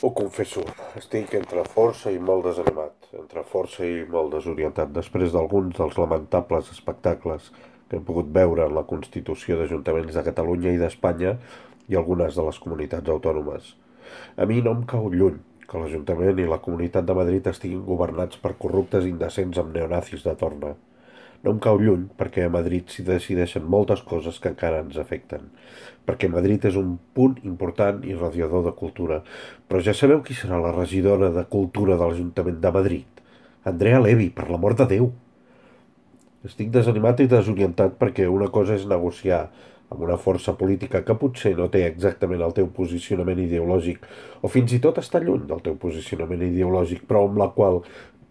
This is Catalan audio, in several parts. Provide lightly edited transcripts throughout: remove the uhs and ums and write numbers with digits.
Ho confesso, estic entre força i molt desanimat, entre força i molt desorientat, després d'alguns dels lamentables espectacles que hem pogut veure en la constitució d'ajuntaments de Catalunya i d'Espanya i algunes de les comunitats autònomes. A mi no em cau lluny que l'Ajuntament i la Comunitat de Madrid estiguin governats per corruptes indecents amb neonazis de torna. No em cau lluny perquè a Madrid s'hi decideixen moltes coses que encara ens afecten. Perquè Madrid és un punt important i radiador de cultura. Però ja sabeu qui serà la regidora de Cultura de l'Ajuntament de Madrid? Andrea Levy, per l'amor de Déu! Estic desanimat i desorientat perquè una cosa és negociar amb una força política que potser no té exactament el teu posicionament ideològic o fins i tot està lluny del teu posicionament ideològic, però amb la qual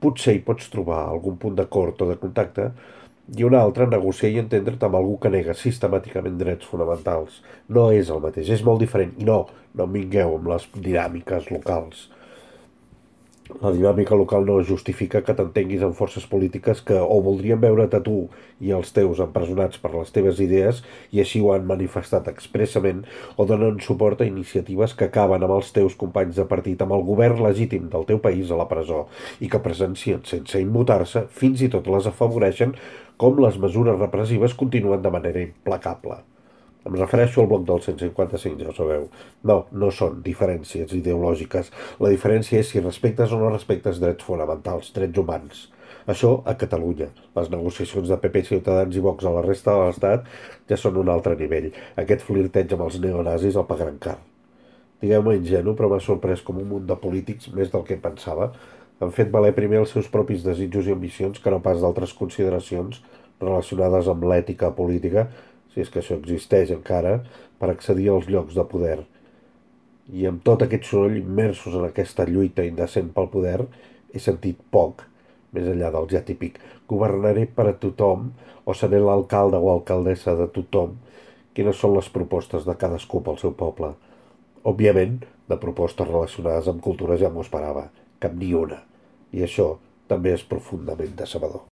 potser hi pots trobar algun punt d'acord o de contacte, i una altra negociar i entendre't amb algú que nega sistemàticament drets fonamentals. No és el mateix, és molt diferent. I no, no em vingueu amb les dinàmiques locals. La dinàmica local no justifica que t'entenguis amb forces polítiques que o voldrien veure't a tu i els teus empresonats per les teves idees i així ho han manifestat expressament, o donen suport a iniciatives que acaben amb els teus companys de partit, amb el govern legítim del teu país a la presó i que presencien sense immutar-se, fins i tot les afavoreixen, com les mesures repressives continuen de manera implacable. Em refereixo al bloc del 155, ja ho sabeu. No, no són diferències ideològiques. La diferència és si respectes o no respectes drets fonamentals, drets humans. Això a Catalunya. Les negociacions de PP, Ciutadans i Vox a la resta de l'Estat ja són un altre nivell. Aquest flirteig amb els neonazis el pagaran car. Digueu-me ingenu, però m'ha sorprès com un munt de polítics, més del que pensava, han fet valer primer els seus propis desitjos i ambicions que no pas d'altres consideracions relacionades amb l'ètica política, si és que això existeix encara, per accedir als llocs de poder. I amb tot aquest soroll immersos en aquesta lluita indecent pel poder, he sentit poc, més enllà del ja típic governaré per a tothom o seré l'alcalde o alcaldessa de tothom, quines són les propostes de cadascú pel seu poble. Òbviament, de propostes relacionades amb cultura ja m'ho esperava, cap ni una. I això també és profundament decebedor.